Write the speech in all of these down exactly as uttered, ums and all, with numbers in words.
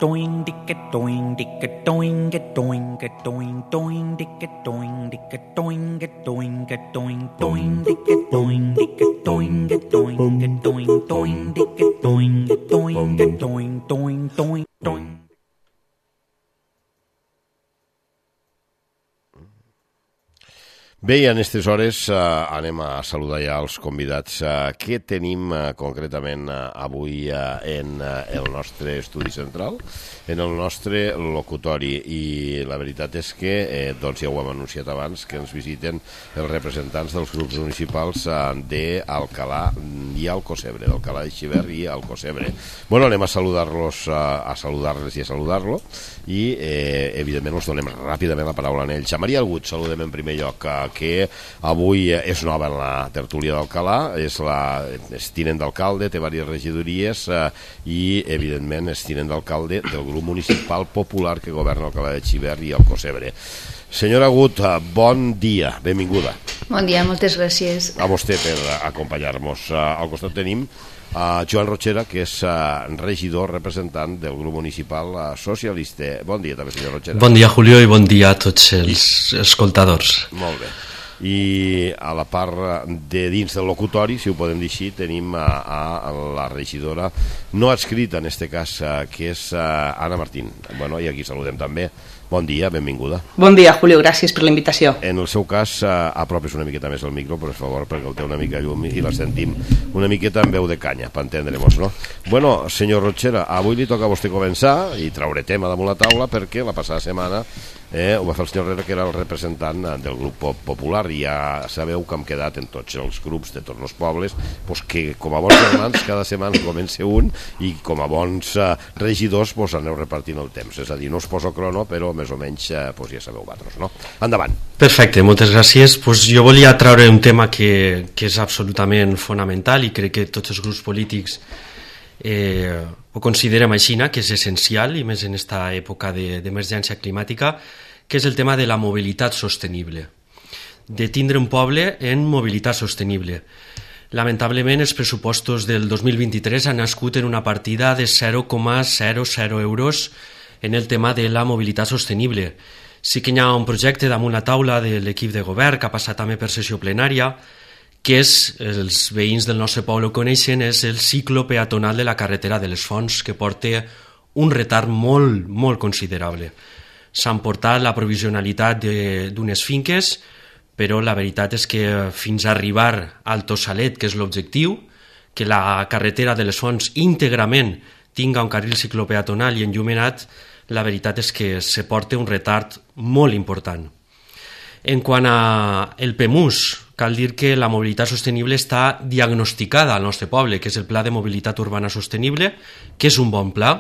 doing dicka doing dicka doing get doing get doing doing dicka doing dicka doing get doing get doing doing dicka doing dicka doing get doing get doing doing dicka doing get doing get doing doing doing doing. Bé, i en aquestes hores eh, anem a saludar ja els convidats. Eh, què tenim eh, concretament eh, avui eh, en eh, el nostre estudi central, en el nostre locutori? I la veritat és que, eh, doncs ja ho hem anunciat abans, que ens visiten els representants dels grups municipals eh, d'Alcalà i Alcocebre, d'Alcalà de Xivert i Alcocebre. Bueno, anem a saludar-los, eh, a saludar-les i a saludar-lo, i eh, evidentment us donem ràpidament la paraula a ells. A Maria Agut saludem en primer lloc, eh, que avui és nova en la tertúlia d'Alcalà, és, la, és tinent d'alcalde, té diverses regidories eh, i, evidentment, és tinent d'alcalde del grup municipal popular que governa Alcalà de Xivert i Alcocebre. Senyora Agut, bon dia, benvinguda. Bon dia, moltes gràcies. A vostè per acompanyar-nos. Al costat tenim a Joan Rochera, que és regidor representant del grup municipal socialista. Bon dia també, senyor Rochera. Bon dia, Julio, i bon dia a tots els escoltadors. Molt bé. I a la part de dins del locutori, si ho podem dir així, tenim a, a la regidora no adscrita en aquest cas, que és Anna Martín. Bueno, i aquí saludem també. Bon dia, benvinguda. Bon dia, Julio, gràcies per la invitació. En el seu cas, apropes una miqueta més al micro, per favor, perquè el té una mica llum i la sentim una miqueta amb veu de canya, per entendre-nos, no? Bueno, senyor Rochera, avui li toca a vostè començar i traure tema damunt la taula, perquè la passada setmana eh, ho va fer el senyor Herrera, que era el representant del grup popular, i ja sabeu que hem quedat en tots els grups de tots els pobles, doncs que com a bons germans cada setmana comença un, i com a bons eh, regidors doncs aneu repartint el temps, és a dir, no us poso crono, però més o menys eh, doncs ja sabeu vosaltres, no? Endavant. Perfecte, moltes gràcies. Pues jo volia traure un tema que, que és absolutament fonamental, i crec que tots els grups polítics eh, ho considerem així, que és essencial, i més en aquesta època d'emergència climàtica, que és el tema de la mobilitat sostenible, de tindre un poble en mobilitat sostenible. Lamentablement, els pressupostos del dos mil vint-i-tres han nascut en una partida de zero coma zero zero euros en el tema de la mobilitat sostenible. Sí que hi ha un projecte damunt la taula de l'equip de govern, que ha passat també per sessió plenària, que és, els veïns del nostre poble ho coneixen, és el ciclo peatonal de la carretera de les Fonts, que porta un retard molt, molt considerable. S'han portat la provisionalitat d'unes finques, però la veritat és que fins a arribar al Tossalet, que és l'objectiu, que la carretera de les Fonts íntegrament tinga un carril ciclopeatonal i enllumenat, la veritat és que se porta un retard molt important. En quant al P E M U S, cal dir que la mobilitat sostenible està diagnosticada al nostre poble, que és el Pla de Mobilitat Urbana Sostenible, que és un bon pla,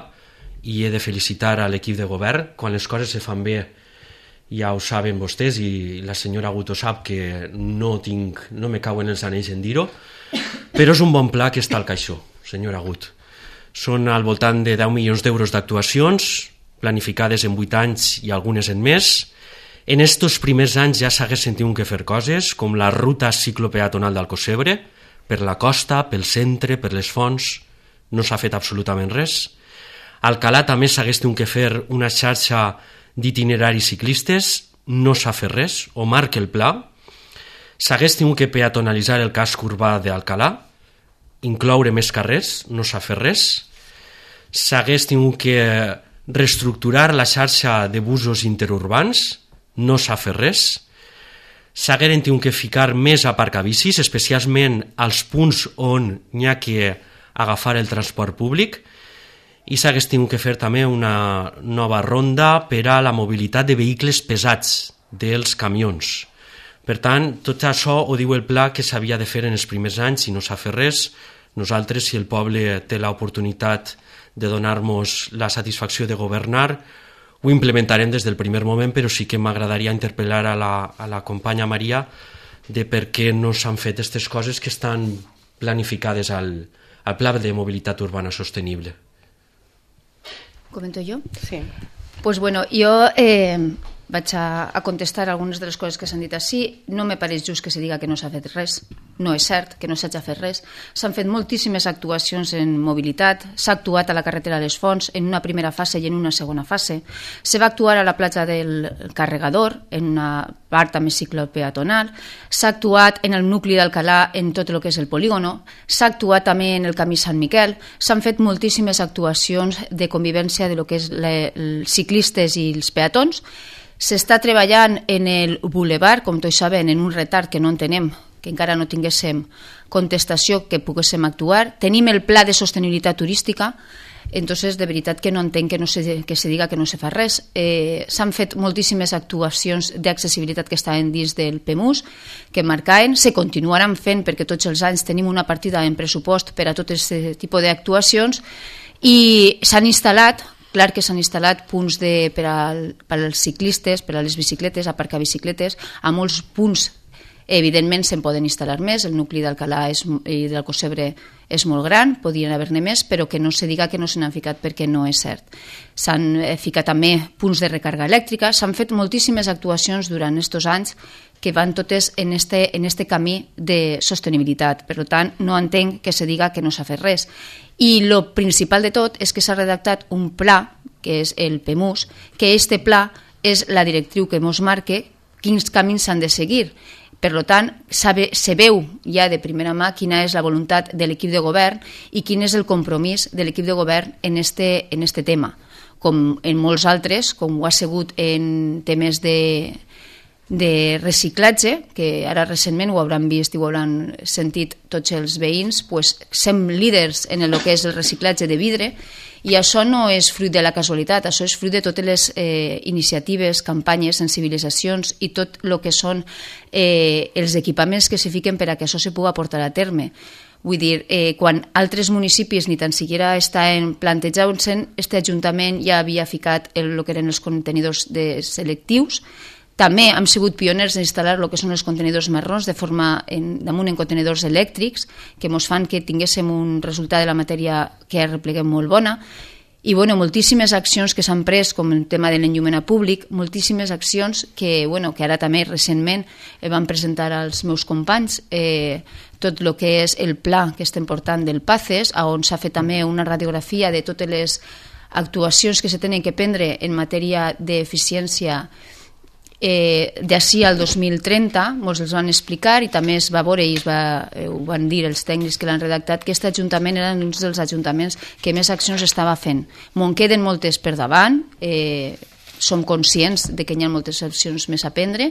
i he de felicitar a l'equip de govern. Quan les coses se fan bé, ja ho saben vostès, i la senyora Agut ho sap, que no, tinc, no me cauen els anells en dir-ho, però és un bon pla que està al caixó, senyora Agut. Són al voltant de deu milions d'euros d'actuacions, planificades en vuit anys i algunes en més. En estos primers anys ja s'haguessin tingut que fer coses, com la ruta ciclopeatonal d'Alcocebre, per la costa, pel centre, per les Fonts, no s'ha fet absolutament res. A Alcalà també s'hagués tingut que fer una xarxa d'itineraris ciclistes, no s'ha fet res, o marca el pla. S'hagués tingut que peatonalitzar el casc urbà d'Alcalà, incloure més carrers, no s'ha fet res. S'hagués tingut que reestructurar la xarxa de busos interurbans, no s'ha fet res. S'hagueren tingut que ficar més aparcabicis, especialment als punts on n'hi ha que agafar el transport públic, i s'hagués tingut que fer també una nova ronda per a la mobilitat de vehicles pesats, dels camions. Per tant, tot això ho diu el pla que s'havia de fer en els primers anys i no s'ha fet res. Nosaltres, si el poble té l'oportunitat de donar-nos la satisfacció de governar, ho implementarem des del primer moment, però sí que m'agradaria interpel·lar a la, a la companya Maria de per què no s'han fet aquestes coses que estan planificades al, al Pla de Mobilitat Urbana Sostenible. ¿Comento yo? Sí. Pues bueno, jo eh, vaig a, a contestar algunes de les coses que s'han dit així. No me pareix just que se diga que no s'ha fet res. no és cert que no s'hagi fet res. S'han fet moltíssimes actuacions en mobilitat, s'ha actuat a la carretera de les Fonts en una primera fase i en una segona fase, se va actuar a la platja del Carregador en una part també ciclopeatonal, s'ha actuat en el nucli d'Alcalà en tot el que és el polígono, s'ha actuat també en el camí Sant Miquel, s'han fet moltíssimes actuacions de convivència de lo que és els ciclistes i els peatons. S'està treballant en el boulevard, com tots saben, en un retard que no entenem, que encara no tinguéssim contestació que poguéssim actuar. Tenim el pla de sostenibilitat turística, entonces de veritat que no entenc que, no se, que se diga que no se fa res. Eh, S'han fet moltíssimes actuacions d'accessibilitat que estaven dins del P E M U S, que marcaven, se continuaran fent perquè tots els anys tenim una partida en pressupost per a tot aquest tipus d'actuacions i s'han instal·lat. Clar que s'han instal·lat punts de, per, al, per als ciclistes, per a les bicicletes, aparcar bicicletes, a molts punts evidentment se'n poden instal·lar més, el nucli d'Alcalà i d'Alcossebre és molt gran, podrien haver-ne més, però que no se diga que no se n'han ficat perquè no és cert. S'han ficat també punts de recàrrega elèctrica, s'han fet moltíssimes actuacions durant aquests anys que van totes en este, en este camí de sostenibilitat. Per tant, no entenc que se diga que no s'ha fet res. I el principal de tot és que s'ha redactat un pla, que és el P E M U S, que este pla és la directriu que ens marca quins camins s'han de seguir. Per tant, se veu ja de primera mà quina és la voluntat de l'equip de govern i quin és el compromís de l'equip de govern en este, en este tema. Com en molts altres, com ho ha sigut en temes de, de reciclatge, que ara recentment ho hauran vist i ho hauran sentit tots els veïns, pues, som líders en el que és el reciclatge de vidre, i això no és fruit de la casualitat, això és fruit de totes les eh, iniciatives, campanyes, sensibilitzacions i tot el que són eh, els equipaments que se fiquen per a que això se pugui portar a terme. Vull dir, eh, quan altres municipis ni tan siquiera estaven plantejant-se, este Ajuntament ja havia ficat el, el que eren els contenidors de selectius. També hem sigut pioners en instal·lar el que són els contenidors marrons de forma en, damunt en contenidors elèctrics que ens fan que tinguéssim un resultat de la matèria que repleguem molt bona. I bueno, moltíssimes accions que s'han pres, com el tema de l'enllumenat públic, moltíssimes accions que, bueno, que ara també recentment van presentar als meus companys, eh, tot el que és el pla que estem portant del PACES, on s'ha fet també una radiografia de totes les actuacions que se tenen que prendre en matèria d'eficiència Eh, d'ací al dos mil trenta, ens els van explicar i també es va veure i es va, eh, ho van dir els tècnics que l'han redactat, que aquest ajuntament era un dels ajuntaments que més accions estava fent. Me'n queden moltes per davant, eh, som conscients de que hi ha moltes accions més a prendre,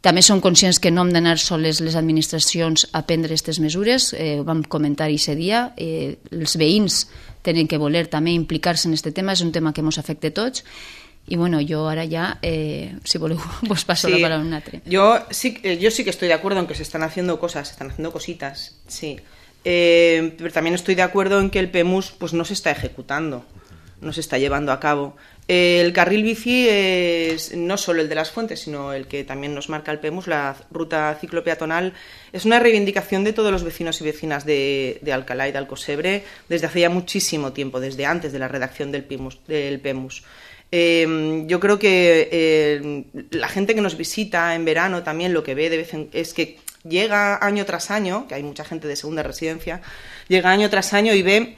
també som conscients que no hem d'anar soles les administracions a prendre aquestes mesures, eh, ho vam comentar aquest dia, eh, els veïns tenen que voler també implicar-se en aquest tema, és un tema que ens afecta a tots. Y bueno, yo ahora ya, eh, si voleu, pues paso sí, la palabra a un altre. Yo sí, yo sí que estoy de acuerdo en que se están haciendo cosas, se están haciendo cositas, sí. Eh, pero también estoy de acuerdo en que el P E M U S pues, no se está ejecutando, no se está llevando a cabo. Eh, el carril bici es no solo el de las Fuentes, sino el que también nos marca el P E M U S, la ruta ciclopeatonal, es una reivindicación de todos los vecinos y vecinas de, de Alcalá y de Alcossebre desde hace ya muchísimo tiempo, desde antes de la redacción del P E M U S. Del P E M U S. Eh, yo creo que eh, la gente que nos visita en verano también lo que ve de vez en, es que llega año tras año, que hay mucha gente de segunda residencia, llega año tras año y ve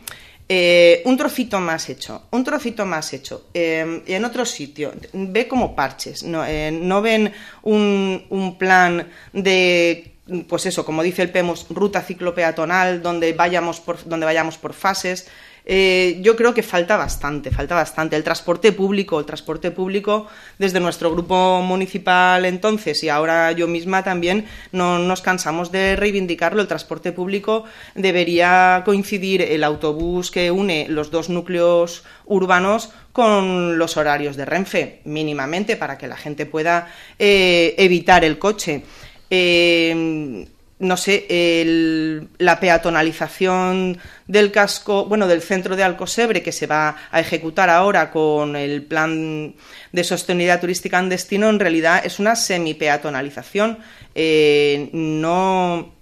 eh, un trocito más hecho, un trocito más hecho, eh, en otro sitio, ve como parches, no, eh, no ven un, un plan de, pues eso, como dice el P E M U S, ruta ciclopeatonal, donde vayamos por, donde vayamos por fases. Eh, yo creo que falta bastante, falta bastante. El transporte público, el transporte público desde nuestro grupo municipal entonces y ahora yo misma también no nos cansamos de reivindicarlo. El transporte público debería coincidir el autobús que une los dos núcleos urbanos con los horarios de Renfe, mínimamente, para que la gente pueda eh, evitar el coche. Eh, no sé, el, la peatonalización del casco, bueno, del centro de Alcossebre, que se va a ejecutar ahora con el plan de sostenibilidad turística en destino, en realidad es una semi-peatonalización. Eh, no,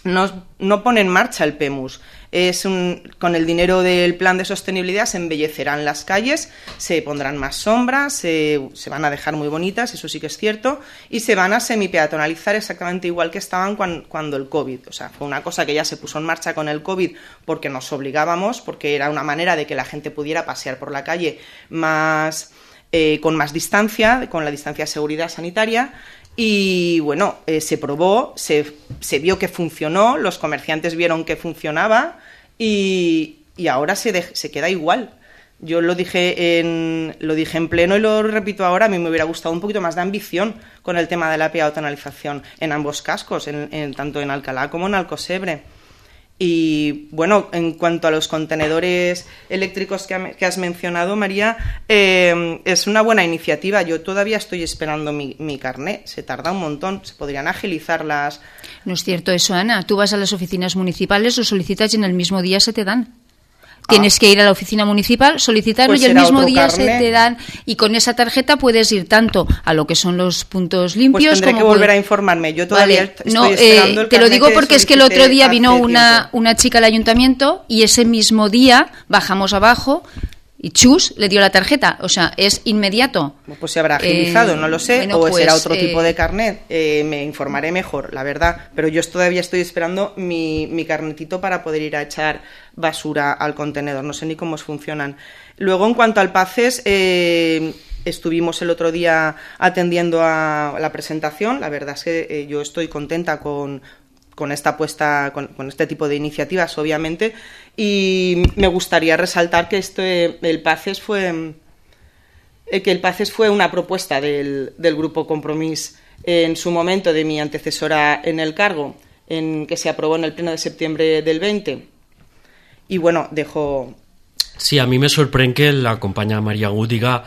no, no pone en marcha el P E M U S. Es un, con el dinero del plan de sostenibilidad se embellecerán las calles, se pondrán más sombras, se, se van a dejar muy bonitas, eso sí que es cierto, y se van a semipeatonalizar exactamente igual que estaban cuando, cuando el COVID. O sea, fue una cosa que ya se puso en marcha con el COVID porque nos obligábamos, porque era una manera de que la gente pudiera pasear por la calle más, eh, con más distancia, con la distancia de seguridad sanitaria. Y bueno, eh, se probó, se, se vio que funcionó, los comerciantes vieron que funcionaba y, y ahora se, de, se queda igual. Yo lo dije, en, lo dije en pleno y lo repito ahora, a mí me hubiera gustado un poquito más de ambición con el tema de la peatonalización en ambos cascos, en, en, tanto en Alcalá como en Alcocebre. Y bueno, en cuanto a los contenedores eléctricos que, ha, que has mencionado, María, eh, es una buena iniciativa. Yo todavía estoy esperando mi, mi carné. Se tarda un montón. Se podrían agilizar las... No es cierto eso, Ana. Tú vas a las oficinas municipales, lo solicitas y en el mismo día se te dan. Tienes que ir a la oficina municipal, solicitarlo Pues y el será mismo otro día carné. se te dan. Y con esa tarjeta puedes ir tanto a lo que son los puntos Pues limpios tendré como... que volver puede- a informarme. Yo todavía Vale, estoy no, esperando eh, el te lo carné digo que porque es que el otro solicité día vino hace una, tiempo. una chica al ayuntamiento y ese mismo día bajamos abajo y chus, le dio la tarjeta. O sea, es inmediato. Pues se habrá agilizado, Eh, no lo sé, bueno, o pues, será otro eh, tipo de carnet. Eh, me informaré mejor, la verdad. Pero yo todavía estoy esperando mi, mi carnetito para poder ir a echar basura al contenedor. No sé ni cómo funcionan. Luego, en cuanto al PACES, eh, estuvimos el otro día atendiendo a la presentación. La verdad es que eh, yo estoy contenta con... con esta apuesta, con, con este tipo de iniciativas, obviamente, y me gustaría resaltar que este, el PACES fue eh, que el PACES fue una propuesta del, del Grupo Compromís en su momento de mi antecesora en el cargo, en que se aprobó en el pleno de septiembre del veinte. Y bueno, dejo... Sí, a mi me sorprèn que la companya Maria Agut diga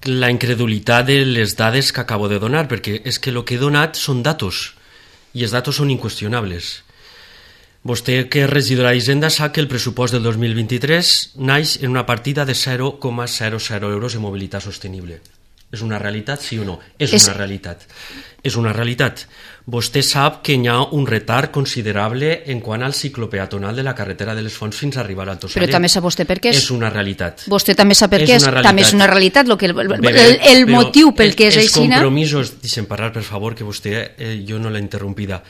la incredulitat de les dades que acabo de donar, perquè és que el que he donat són datos, i els datos són inqüestionables. Vostè, que és regidora d'Hisenda, sap que el pressupost del dos mil vint-i-tres naix en una partida de zero coma zero zero euros en mobilitat sostenible. És una realitat, sí o no? És, és una realitat. És una realitat. Vostè sap que hi ha un retard considerable en quant al ciclo peatonal de la carretera de les Fonts fins a arribar al Tossaller. Però també sap vostè per què és. És una realitat. Vostè també sap per És què és. una realitat. També és una realitat. Lo que el, el, Bé, el, el però motiu pel que és els aixina... Els compromisos, deixem parlar, per favor, que vostè, eh, jo no l'he interrompida.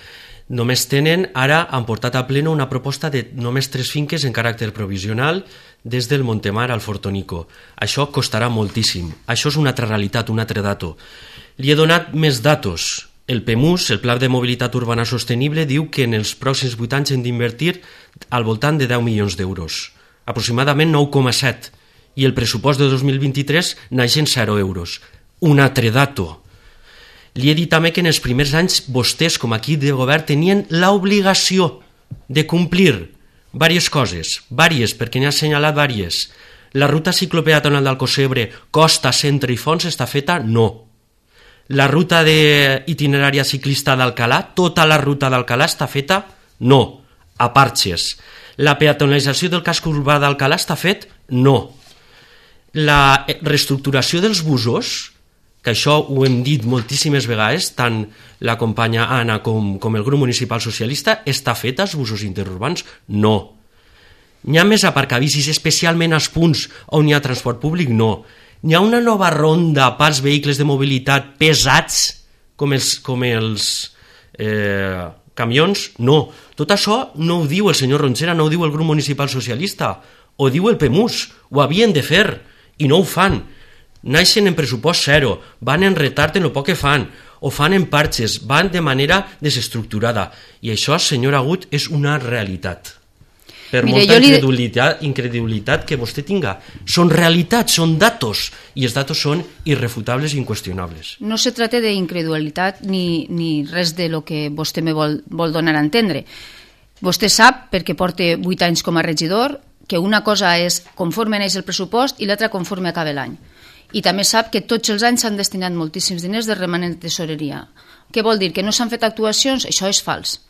Només tenen, ara han portat a pleno una proposta de només tres finques en caràcter provisional des del Montemar al Fortonico. Això costarà moltíssim. Això és una altra realitat, un altre dato. Li he donat més datos. El P E M U S, el Pla de Mobilitat Urbana Sostenible, diu que en els pròxims vuit anys hem d'invertir al voltant de deu milions d'euros, aproximadament nou coma set, i el pressupost de dos mil vint-i-tres naix en zero euros. Un altre dato. Li he dit també que en els primers anys vostès, com a equip de govern, tenien l'obligació de complir diverses coses, diverses, perquè n'he assenyalat diverses. La ruta ciclopeatonal d'Alcocebre, Costa, Centre i Fons està feta? No. La ruta de itinerària ciclista d'Alcalà, tota la ruta d'Alcalà està feta? No. A parxes. La peatonalització del casc urbà d'Alcalà està fet? No. La reestructuració dels busos, que això ho hem dit moltíssimes vegades, tant la companya Anna com, com el grup municipal socialista, està feta als busos interurbans? No. N'hi ha més aparcabicis, especialment als punts on hi ha transport públic? No. N'hi ha una nova ronda pels vehicles de mobilitat pesats, com els, com els eh, camions? No. Tot això no ho diu el senyor Ronchera, no ho diu el grup municipal socialista, ho diu el P E M U S, ho havien de fer, i no ho fan. Naixen en pressupost zero, van en retard en el poc que fan, o fan en parxes, van de manera desestructurada. I això, senyor Agut, és una realitat. Per Mire, molta jo li... incredulitat, incredulitat que vostè tinga. Són realitats, són datos, i els datos són irrefutables i inqüestionables. No se trata de incredulitat ni, ni res de lo que vostè me vol, vol donar a entendre. Vostè sap, perquè porta vuit anys com a regidor, que una cosa és conforme neix el pressupost i l'altra conforme acaba l'any. I també sap que tots els anys s'han destinat moltíssims diners de remanent de tesoreria. Què vol dir? Que no s'han fet actuacions? Això és fals.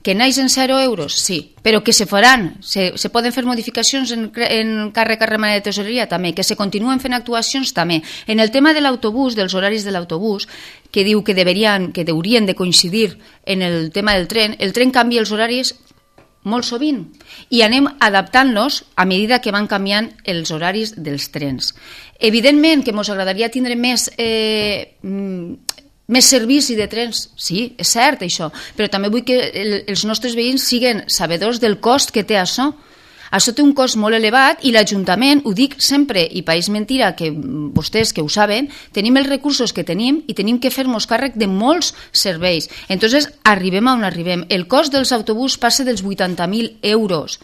Que naix en zero euros? Sí, però que se faran, se, se poden fer modificacions en, en càrrec a remanent de tesoreria? També. Que se continuen fent actuacions? També. En el tema de l'autobús, dels horaris de l'autobús, que diu que deberien, que haurien de coincidir en el tema del tren, el tren canvia els horaris molt sovint, i anem adaptant-los a mesura que van canviant els horaris dels trens. Evidentment que ens agradaria tindre més, eh, més servici de trens, sí, és cert això, però també vull que el, els nostres veïns siguin sabedors del cost que té això. Això té un cost molt elevat i l'Ajuntament, ho dic sempre, i país mentira, que vostès que ho saben, tenim els recursos que tenim i tenim que fer-nos càrrec de molts serveis. Entonces, arribem on arribem. El cost dels autobús passa dels vuitanta mil euros.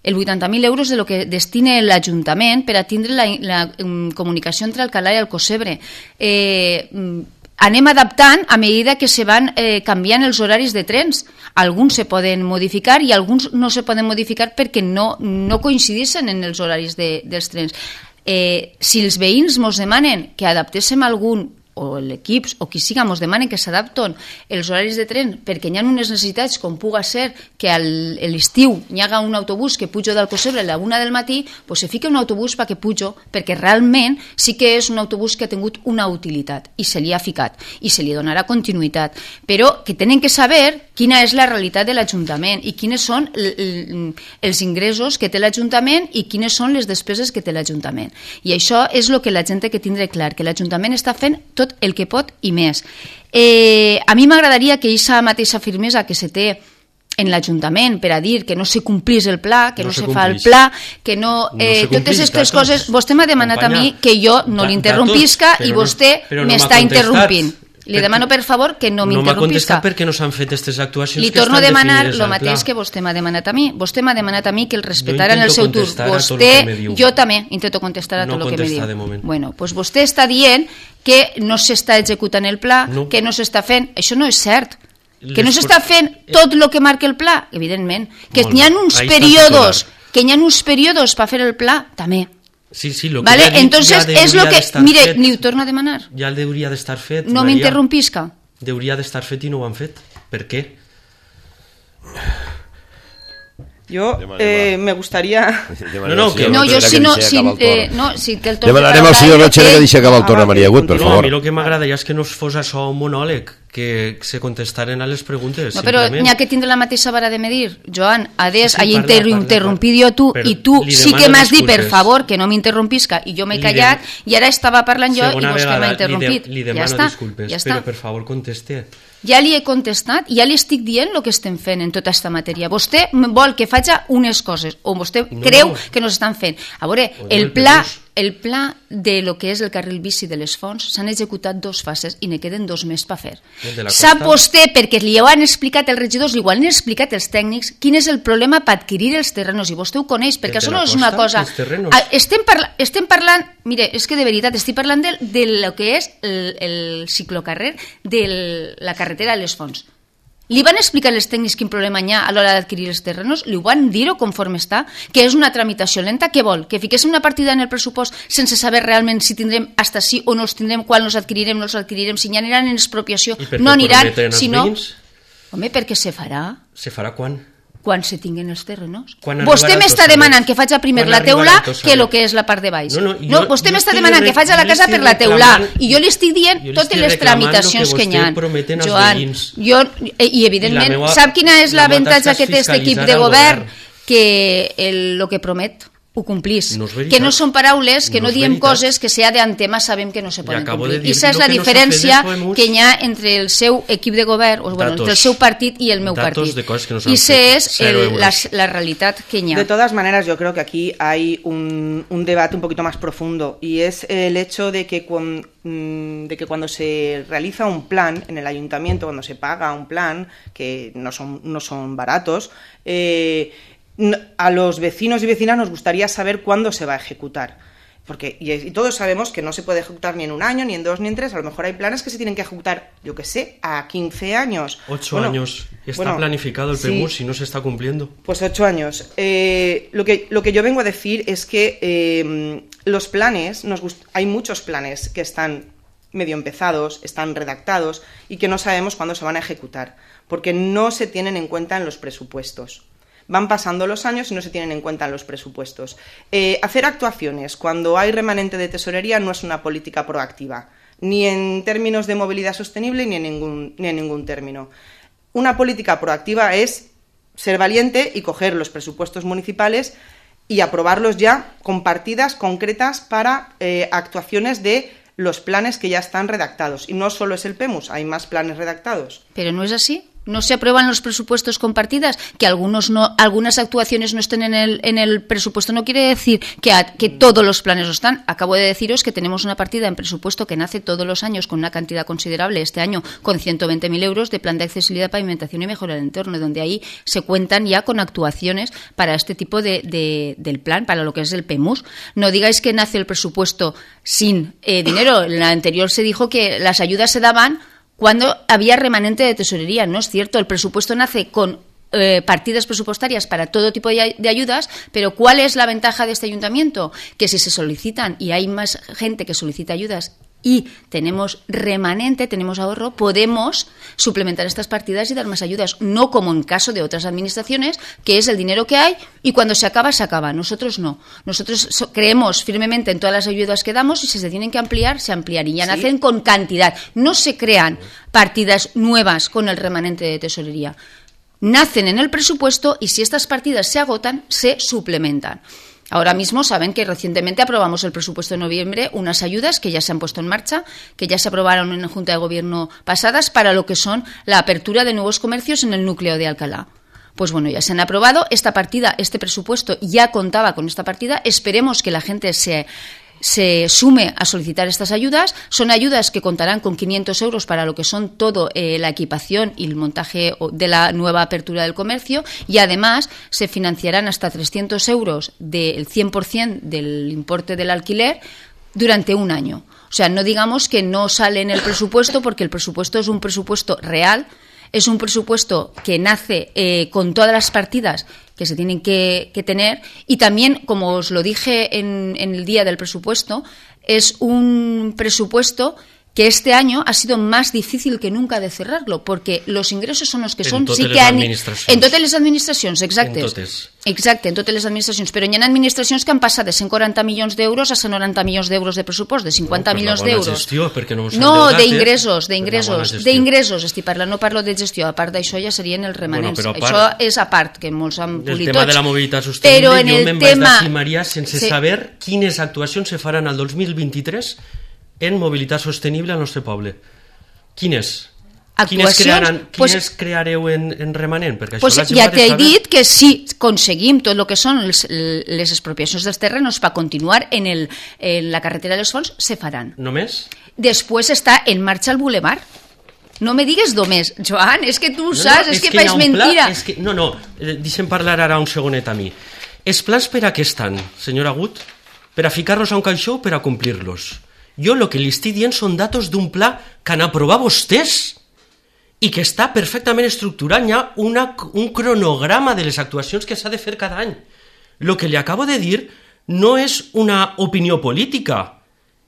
El vuitanta mil euros de lo que destina l'Ajuntament per a tindre la, la um, comunicació entre Alcalá i Alcocebre. Eh... Anem adaptant a mesura que se van eh, canviant els horaris de trens. Alguns se poden modificar i alguns no se poden modificar perquè no, no coincideixen en els horaris de, dels trens. Eh, si els veïns ens demanen que adaptéssim algun, o l'equip o qui siga ens demanen que s'adapten els horaris de tren perquè hi ha unes necessitats com puga ser que a l'estiu hi haga un autobús que pujo d'Alcocebre a la una del matí, doncs se fica un autobús perquè pujo, perquè realment sí que és un autobús que ha tingut una utilitat i se li ha ficat i se li donarà continuïtat, però que tenen que saber quina és la realitat de l'Ajuntament i quines són els ingressos que té l'Ajuntament i quines són les despeses que té l'Ajuntament. I això és el que la gent té que tindre clar, que l'Ajuntament està fent tot el que pot i més. Eh, a mi m'agradaria que aquesta mateixa firmesa que se té en l'Ajuntament per a dir que no se complís el pla, que no, no se, se fa el pla, que no... Eh, no totes aquestes coses... Vostè m'ha demanat companya, a mi que jo no l'interrompisca i vostè no m'està interrompint. Li demano, per favor, que no m'interrompisca. No m'ha contestat perquè no s'han fet aquestes actuacions Li que torno a estan demanar definides el mateix que vostè m'ha demanat a mi. Vostè m'ha demanat a mi que el respetara en el seu tur. Vostè, jo també intento contestar a tot el que me diu. Bueno, doncs vostè està dient que no s'està executant el pla, no. que no s'està fent. Això no és cert. Que no s'està fent tot el que marca el pla, evidentment. Que hi ha uns períodos, que hi ha uns períodos per fer el pla, també. Sí, sí, lo que vale, dit, entonces ja es lo que mire, fet. Li ho torno a demanar. Ja el hauria d'estar fet. No m'interrompisca. Hauria d'estar fet i no ho han fet. Per què? Yo eh, me gustaría... No, no, que no, yo si no... Si, eh, no, si te el torno demanarem al senyor Noche que deixi acabar el torn a Maria Agut, per no, favor. A mi el que m'agradaria és que no fos això un monòleg, que se contestaren a les preguntes. No, però n'hi ha que tindre la mateixa vara de medir. Joan, adés, sí, sí, hagi interrompit jo tu, i tu sí que m'has dit, per favor, que no m'interrompisca, i jo m'he callat, i ara estava parlant jo i vostè m'ha interrompit. Li demano disculpes, però per favor conteste. Ja li he contestat, ja li estic dient el que estem fent en tota aquesta matèria. Vostè vol que faci unes coses, o vostè no, creu no. que no s'estan fent. A veure, el pla, el pla de lo que és el carril bici de les Fonts s'han executat dos fases i ne queden dos més per fer. Sap vostè, perquè li ho han explicat els regidors, li ho han explicat els tècnics, quin és el problema per adquirir els terrenos, i vostè ho coneix, perquè això no és una cosa... Estem, parla... estem parlant, mire, és que de veritat estic parlant de, de lo que és el, el ciclocarrer de la carretera de les Fonts. Li van explicar als tècnics quin problema hi ha a l'hora d'adquirir els terrenos? Li van dir-ho conforme està? Que és una tramitació lenta? Què vol? Que fiquéssim una partida en el pressupost sense saber realment si tindrem hasta sí o no els tindrem, quan els adquirirem, no els adquirirem, si ja aniran en expropiació, no aniran, si no... Home, perquè se farà. Se farà quan? Quan se tinguen els terrenos. Vostè m'està demanant que faci primer la teula que el que és la part de baix. No, no, jo, no vostè m'està demanant que faci la casa per la teula i jo li estic dient totes les tramitacions que hi ha. Joan, jo, i evidentment, I sap quina és l'avantatge que té aquest equip de govern? Que el que promet ho complís, no que no són paraules, que no, no diem veritat. Coses que si ha d'antema sabem que no se poden complir. I aquesta és la diferència no que hi ha entre el seu equip de govern, o, bueno, entre el seu partit i el meu Datos partit. No I aquesta és el, la, la realitat que hi ha. De todas maneras, yo creo que aquí hay un, un debate un poquito más profundo, y es el hecho de que, cuando, de que cuando se realiza un plan en el ayuntamiento, cuando se paga un plan, que no son, no son baratos, eh, a los vecinos y vecinas nos gustaría saber cuándo se va a ejecutar. Porque, y, y todos sabemos que no se puede ejecutar ni en un año, ni en dos, ni en tres. A lo mejor hay planes que se tienen que ejecutar, yo qué sé, a quince años. Ocho bueno, años. Está bueno, planificado el P M U S sí, y no se está cumpliendo. Pues ocho años. Eh, lo, que, lo que yo vengo a decir es que eh, los planes, nos gust- hay muchos planes que están medio empezados, están redactados y que no sabemos cuándo se van a ejecutar, porque no se tienen en cuenta en los presupuestos. Van pasando los años y no se tienen en cuenta en los presupuestos. Eh, hacer actuaciones cuando hay remanente de tesorería no es una política proactiva, ni en términos de movilidad sostenible ni en ningún, ni en ningún término. Una política proactiva es ser valiente y coger los presupuestos municipales y aprobarlos ya con partidas concretas para eh, actuaciones de los planes que ya están redactados. Y no solo es el PEMUS, hay más planes redactados. Pero no es así. No se aprueban los presupuestos con partidas, que algunos no, algunas actuaciones no estén en el, en el presupuesto. No quiere decir que, a, que todos los planes no están. Acabo de deciros que tenemos una partida en presupuesto que nace todos los años con una cantidad considerable, este año con ciento veinte mil euros de plan de accesibilidad, pavimentación y mejora del entorno, donde ahí se cuentan ya con actuaciones para este tipo de, de, del plan, para lo que es el PEMUS. No digáis que nace el presupuesto sin eh, dinero. En la anterior se dijo que las ayudas se daban cuando había remanente de tesorería. No es cierto, el presupuesto nace con eh, partidas presupuestarias para todo tipo de, de ayudas, pero ¿cuál es la ventaja de este ayuntamiento? Que si se solicitan y hay más gente que solicita ayudas y tenemos remanente, tenemos ahorro, podemos suplementar estas partidas y dar más ayudas, no como en caso de otras administraciones, que es el dinero que hay y cuando se acaba, se acaba. Nosotros no. Nosotros so- creemos firmemente en todas las ayudas que damos y si se tienen que ampliar, se ampliarían. ¿Sí? Nacen con cantidad. No se crean partidas nuevas con el remanente de tesorería. Nacen en el presupuesto y si estas partidas se agotan, se suplementan. Ahora mismo saben que recientemente aprobamos el presupuesto de noviembre, unas ayudas que ya se han puesto en marcha, que ya se aprobaron en la Junta de Gobierno pasadas para lo que son la apertura de nuevos comercios en el núcleo de Alcalá. Pues bueno, ya se han aprobado esta partida, este presupuesto ya contaba con esta partida. Esperemos que la gente se... se sume a solicitar estas ayudas. Son ayudas que contarán con quinientos euros para lo que son todo eh, la equipación y el montaje de la nueva apertura del comercio y además se financiarán hasta trescientos euros del cien por ciento del importe del alquiler durante un año. O sea, no digamos que no sale en el presupuesto porque el presupuesto es un presupuesto real. Es un presupuesto que nace eh, con todas las partidas que se tienen que, que tener y también, como os lo dije en, en el día del presupuesto, es un presupuesto que este año ha sido más difícil que nunca de cerrarlo, porque los ingressos son los que són. En sí totes que les han... administracions. En totes les administracions, exacte. En totes. Exacte, en totes les administracions. Però hi ha administracions que han passat de cent quaranta milions d'euros a cent noranta milions d'euros de pressupost, de cinquanta no, milions d'euros. d'euros. Gestió, perquè no no, d'ingressos, d'ingressos, d'ingressos, estic parlant, no parlo de gestió, a part d'això ja serien els remanents. Bueno, part, això és a part, que molts han polit tots. El tema de la mobilitat sostenible, en jo el me'n tema... vaig d'acimaria sense sí. saber quines actuacions se faran al dos mil vint-i-tres en mobilitat sostenible al nostre poble. Quines? Quines, crearan, quines pues, creareu en, en remanent? Perquè pues això ja t'he dit que si aconseguim tot el que són els, les expropiacions dels terrenos per continuar en, el, en la carretera dels Fons, se faran. Només? Després està en marxa el bulevar. No me digues només, Joan, és que tu ho no, saps, no, és, és que, que fas mentira. És que, no, no, deixa'm parlar ara un segonet a mi. Els plans per a què estan, senyor Agut? Per a ficar-los a un caixó o per a complir-los? Jo el que li estic dient són datos d'un pla que han aprovat vostès i que està perfectament estructurat. Hi ha una, un cronograma de les actuacions que s'ha de fer cada any. El que li acabo de dir no és una opinió política,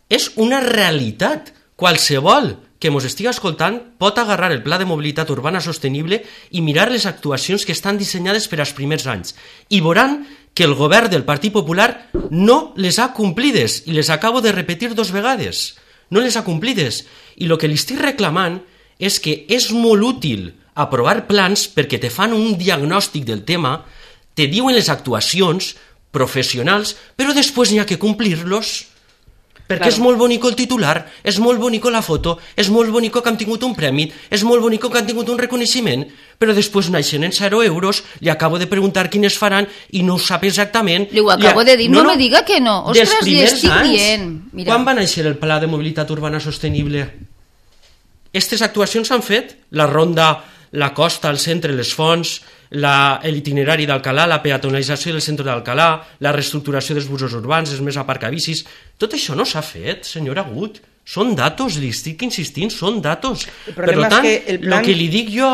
és una realitat. Qualsevol que ens estigui escoltant pot agarrar el Pla de Mobilitat Urbana Sostenible i mirar les actuacions que estan dissenyades per als primers anys i veuran que el govern del Partit Popular no les ha complides, i les acabo de repetir dos vegades. No les ha complides. I el que li estic reclamant és que és molt útil aprovar plans perquè te fan un diagnòstic del tema, te diuen les actuacions professionals, però després n'hi ha que complir-los. Perquè claro. És molt bonico el titular, és molt bonico la foto, és molt bonico que han tingut un premi, és molt bonico que han tingut un reconeixement, però després naixen en zero euros, li acabo de preguntar quines faran i no ho sap exactament. Li ho acabo de dir, no, no me diga que no. Ostres, li estic dient. Mira. Quan va néixer el Pla de Mobilitat Urbana Sostenible? Aquestes actuacions s'han fet, la ronda, la costa, el centre, les fonts, la, l'itinerari d'Alcalà, la peatonalització del centre d'Alcalà, la reestructuració dels busos urbans, els més aparcabicis. Tot això no s'ha fet, senyor Agut. Són datos, li estic insistint, són datos. Per tant, el que, plan... que li dic jo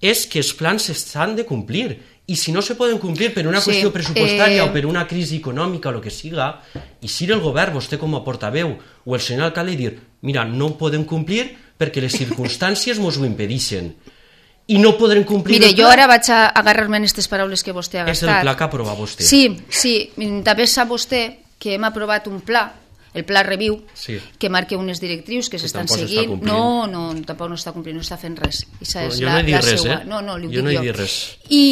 és que els plans s'han de complir. I si no se poden complir per una sí, qüestió pressupostària eh... o per una crisi econòmica o el que siga, i si el govern, vostè com a portaveu, o el senyor alcalde, dir, mira, no podem complir perquè les circumstàncies ens ho impedeixen. I no podrem complir. Mire, jo ara vaig a agarrar-me en aquestes paraules que vostè ha gastat. És el pla que aprova vostè. Sí, sí, també sap vostè que hem aprovat un pla el Pla Reviu, sí. que marca unes directrius que s'estan seguint. No, no, tampoc no està complint, no està fent res. Esa és jo la, no he dit la res, seua. eh? No, no, li ho jo dic no he jo. dit res. I,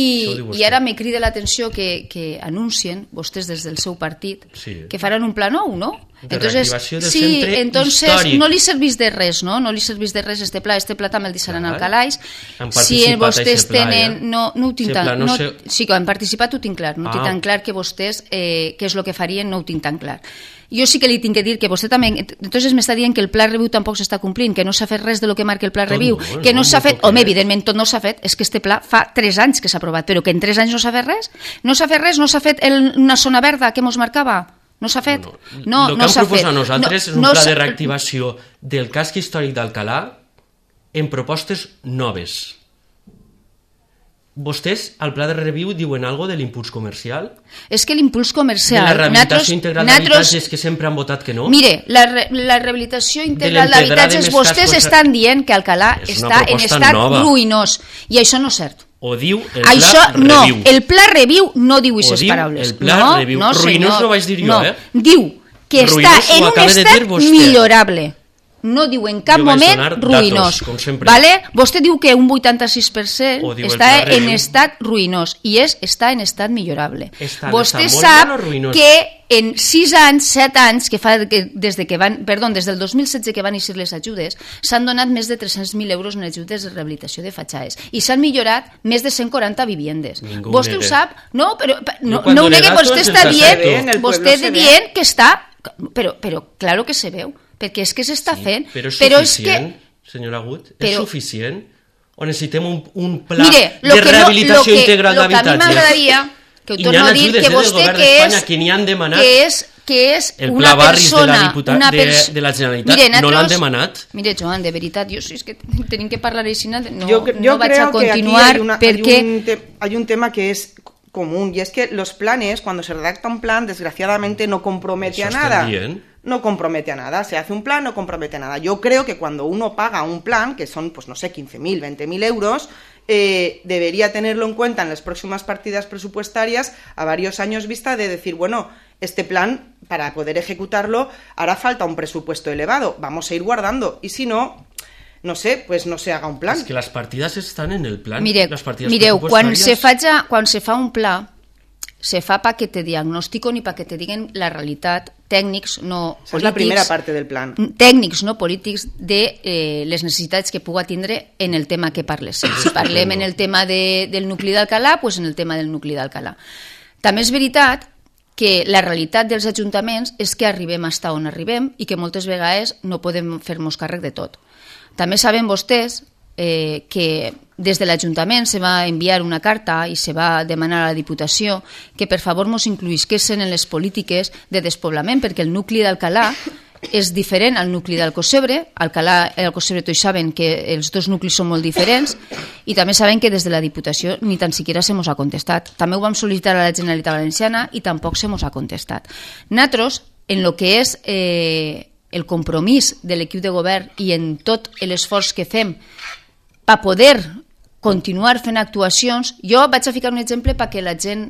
I ara me crida l'atenció que, que anuncien, vostès des del seu partit, sí. que faran un pla nou, no? De entonces, reactivació del sí, centre entonces històric. no li servís de res, no? No li servís de res este pla, este pla també el deixaran al calaix. Si vostès tenen... No, no ho tinc tan... No, sí, que han participat ho tinc clar, no ho tinc tan clar que vostès, eh, què és el que farien, no ho tinc tan clar. Jo sí que li tinc que dir que vostè també... Entonces m'està dient que el Pla Reviu tampoc s'està complint, que no s'ha fet res de lo que marca el Pla Reviu, no, que no, no s'ha fet... Home, evidentment, tot no s'ha fet, és que este pla fa tres anys que s'ha aprovat, però que en tres anys no s'ha fet res? No s'ha fet res? No s'ha fet el, una zona verda que mos marcava? No s'ha fet? No, el que no hem proposat fet. nosaltres no, és un no pla de reactivació del casc històric d'Alcalà en propostes noves. Vostès, al Pla de Reviu, diuen algo de l'impuls comercial? És que l'impuls comercial... De la rehabilitació natros, integral d'habitatges natros, que sempre han votat que no? Mire, la, re, la rehabilitació integral d'habitatges, vostès estan dient que Alcalà està en estat nova. ruïnós, i això no és cert. O diu el Pla això, Reviu. No, el Pla Reviu no diu aquestes paraules. El Pla no, Reviu. No, ruïnós no vaig dir jo, no. eh? Diu que ruïnós està en un estat millorable. No diu en cap moment ruïnós. Datos, vale? Vostè diu que un vuitanta-sis per cent està en estat ruïnós i és està en estat millorable. Estan, Vostè estan sap que en sis anys, set anys, que fa que des, de que van, perdó, des del dos mil setze que van eixir les ajudes, s'han donat més de tres-cents mil euros en ajudes de rehabilitació de fatxades i s'han millorat més de cent quaranta viviendes. Ningú vostè negue. ho sap? No, però no, no, no ho negue, vostè està dient, vostè se dient que està... Però, però claro que se veu. Perquè és que s'està sí, fent... Però és però suficient, és que... senyora Gut? Però... És suficient? O necessitem un, un pla Mire, de rehabilitació no, que, integral d'habitatges? Lo que a mi m'agradaria, que ho I torno a dir, que vostè que és... Que n'hi han demanat que és, que és el una pla barris persona... de la, diputa, una de, pers... de la Generalitat, mire, no l'han demanat? Mire, Joan, de veritat, jo sí, és que tenim que parlar així, no, yo, yo no vaig a continuar, una, perquè... Hay un, te, hay un tema que es común, y es que los planes, cuando se redacta un plan, desgraciadamente no compromete Eso a nada. Bien. No compromete a nada, se hace un plan, no compromete a nada. Yo creo que cuando uno paga un plan, que son, pues no sé, quince mil, veinte mil euros, eh, debería tenerlo en cuenta en las próximas partidas presupuestarias a varios años vista de decir, bueno, este plan, para poder ejecutarlo, hará falta un presupuesto elevado, vamos a ir guardando, y si no... no sé, pues no se haga un plan. Es que las partidas están en el plan. Mire, las partidas mireu, quan se, faja, quan se fa un pla, se fa pa que te diagnostiquen i pa que te diguen la realitat, tècnics, no polítics... És la primera part del plan. Tècnics, no polítics, de eh, les necessitats que puga tindre en el tema que parles. Si parlem en el tema de, del nucli d'Alcalà, doncs en el tema del nucli d'Alcalà. També és veritat que la realitat dels ajuntaments és que arribem fins on arribem i que moltes vegades no podem fer-nos càrrec de tot. També saben vostès eh, que des de l'Ajuntament se va enviar una carta i se va demanar a la Diputació que per favor mos incluïsquessin en les polítiques de despoblament, perquè el nucli d'Alcalà és diferent al nucli d'Alcossebre. Alcalà i Alcossebre tots saben que els dos nuclis són molt diferents i també saben que des de la Diputació ni tan siquiera se mos ha contestat. També ho vam sol·licitar a la Generalitat Valenciana i tampoc se mos ha contestat. Nosaltres, en el que és... Eh, el compromís de l'equip de govern i en tot l'esforç que fem per poder continuar fent actuacions, jo vaig a ficar un exemple perquè la gent,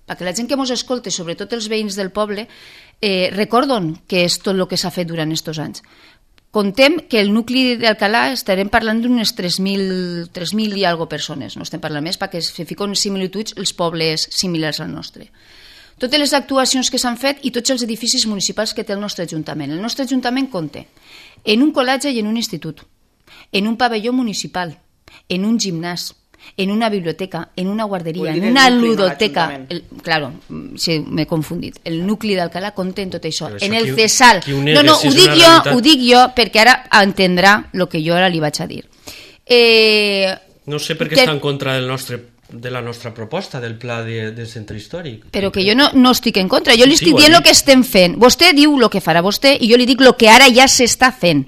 perquè la gent que ens escolta, sobretot els veïns del poble, eh, recorden que és tot el que s'ha fet durant aquests anys. Contem que el nucli d'Alcalà estarem parlant d'unes tres mil i algo persones, no estem parlant més perquè se fiquen similituds els pobles similars al nostre. Totes les actuacions que s'han fet i tots els edificis municipals que té el nostre Ajuntament. El nostre Ajuntament compta en un col·legi i en un institut, en un pavelló municipal, en un gimnàs, en una biblioteca, en una guarderia, en una ludoteca... El, claro, sí, m'he confundit. El nucli d'Alcalà compta en tot això. En el CESAL. No, no, ho dic jo, ho dic jo perquè ara entendrà el que jo ara li vaig a dir. Eh, no sé per què està en contra del nostre... de la nostra proposta del pla de, del centre històric. Però que jo no, no estic en contra, jo li sí, estic dient el que estem fent. Vostè diu el que farà vostè i jo li dic el que ara ja s'està fent.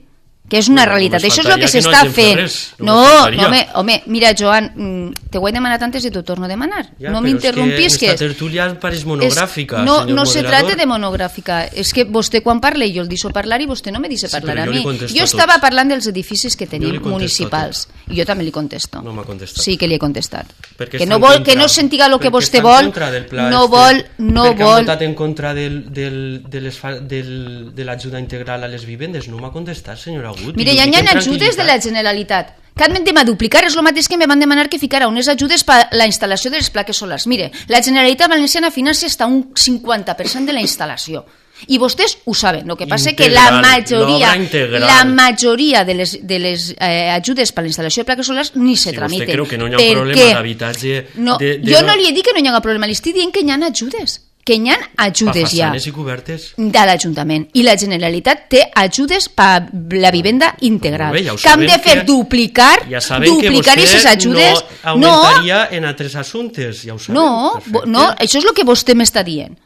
que és una Bueno, realitat. només Això és el que faltaria que no s'està hagin fet fent. res, No, només faltaria. home, home, mira, Joan, mm, te ho he demanat antes i t'ho torno a demanar. Ja, no però m'interrompis, és que... que esta tertulia pareix monogràfica, és, no, senyor no se moderador. trata de monogràfica. És que vostè quan parla i jo el deixo parlar i vostè no me deixa Sí, parlar però a jo li mi. contesto Jo a estava tots. parlant dels edificis que li tenim contesto municipals i jo també li contesto. No m'ha contestat. Sí que li he contestat. Perquè Que està no, en vol, contra- que no sentiga el que perquè vostè està en vol, contra del pla no este, vol, no perquè vol... ha votat en contra del, del, de les fa- del, de l'ajuda integral a les vivendes. No m'ha contestat, senyora Agut. Mire, I ho ja dic hi en ha ajudes de la tranquil·litat. Generalitat que han de duplicar, és el mateix que me van demanar que ficara unes ajudes per la instal·lació de les plaques solars. Mire, la Generalitat Valenciana financia hasta un cinquanta per cent de la instal·lació. I vostès ho saben, el que passa és que la Integral, majoria, l'obra integral. la majoria de les, de les eh, ajudes per la instal·lació de plaques solars ni se Si tramiten. vostè creu que no hi ha Per un problema què? d'habitatge... No, de, de, jo no li he dit que no hi ha problema, li estic dient que hi ha ajudes, que hi ha ajudes pa ja façanes i cobertes. de l'Ajuntament, i la Generalitat té ajudes per la vivenda integral, Molt bé, ja ho que hem de sabem fer que- duplicar Ja saben duplicar que aquestes vostè ajudes. no augmentaria en altres assumptes, ja ho sabem. no, perfecte. bo- no, això és el que vostè m'està dient,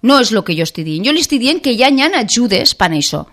no és el que jo estic dient. Jo li estic dient que ja hi ha ajudes per això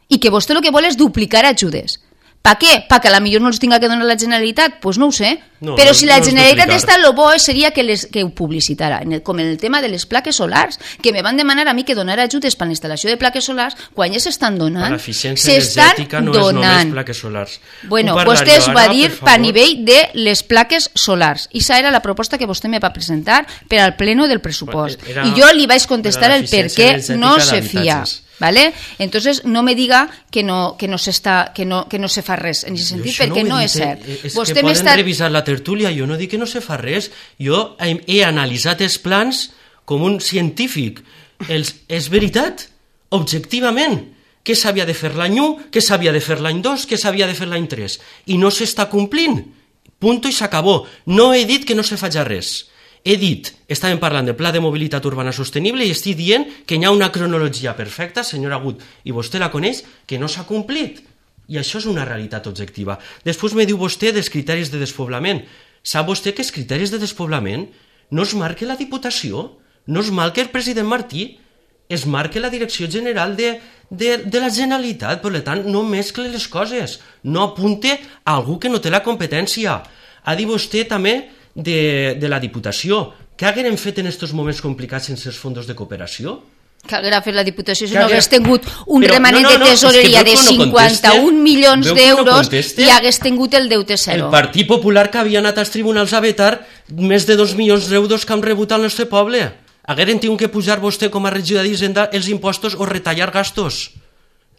i que vostè el que vol és duplicar ajudes. Per què? Perquè a millor no els tinga que donar la Generalitat? Doncs pues no ho sé. No, Però no, si la no és Generalitat duplicar. està, lo bo seria que, les, que ho publicitara, en el, com en el tema de les plaques solars, que me van demanar a mi que donara ajudes per a la instal·lació de plaques solars, quan ja s'estan Per donant. l'eficiència S'estan energètica no és només donant. plaques solars. Bueno, Ho parlaré vostè es va ara, dir per per favor. nivell de les plaques solars. I esa era la proposta que vostè me va presentar per al pleno del pressupost. Era- I jo li vaig contestar era el per l'eficiència què energètica no se fia. d'habitatges. ¿Vale? Entonces no me diga que no, que no, s'està, que no, que no se fa res en aquest sentit, Jo això perquè ho he no dit, és cert. eh, És Vostè que poden m'està... revisar la tertúlia, jo no dic que no se fa res. Jo he, he analitzat els plans com un científic. Els, és veritat, objectivament, què s'havia de fer l'any u, què s'havia de fer l'any dos, què s'havia de fer l'any tres. I no s'està complint. Punto i s'acabó. No he dit que no se faci res. He dit, estàvem parlant del Pla de Mobilitat Urbana Sostenible i estic dient que hi ha una cronologia perfecta, senyor Agut, i vostè la coneix, que no s'ha complit. I això és una realitat objectiva. Després me diu vostè dels criteris de despoblament. Sap vostè que els criteris de despoblament no es marca la Diputació, no es marca el president Martí, es marca la Direcció General de, de, de la Generalitat. Per tant, no mescle les coses, no apunte a algú que no té la competència. Ha dit vostè també de, de la Diputació. Què haguem fet en aquests moments complicats sense els fons de cooperació? Que haguera fet la Diputació si Que no haguera- hagués tingut un Però, remanent no, no, no, de tesoreria és que de veu que no cinquanta-un conteste, milions veu que no d'euros conteste. i hagués tingut el deute El zero. Partit Popular que havia anat als tribunals a vetar més de dos milions d'euros que han rebut al nostre poble. Hagueren tingut que pujar vostè com a regidor d'Hisenda els impostos o retallar gastos.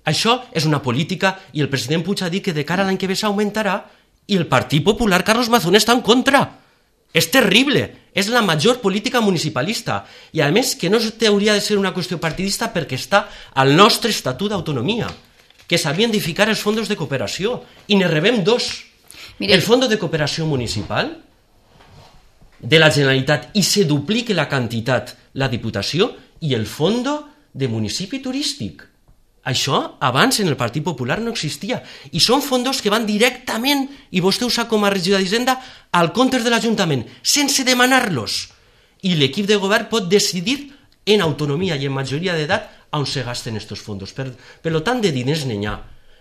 Això és una política i el president Puig ha dit que de cara a l'any que ve s'augmentarà i el Partit Popular, Carlos Mazón, està en contra. És terrible, és la major política municipalista i a més que no hauria de ser una qüestió partidista perquè està al nostre Estatut d'Autonomia, que s'havien de ficar els fons de cooperació i ne rebem dos. Mire, El Fons de Cooperació Municipal de la Generalitat i se duplique la quantitat la Diputació i el Fons de Municipi Turístic. Això abans en el Partit Popular no existia i són fondos que van directament, i vostè ho sap com a regidor d'Hisenda, al compte de l'Ajuntament, sense demanar-los. I l'equip de govern pot decidir en autonomia i en majoria d'edat on se gasten aquests fondos. Per, per tant, de diners n'hi ha.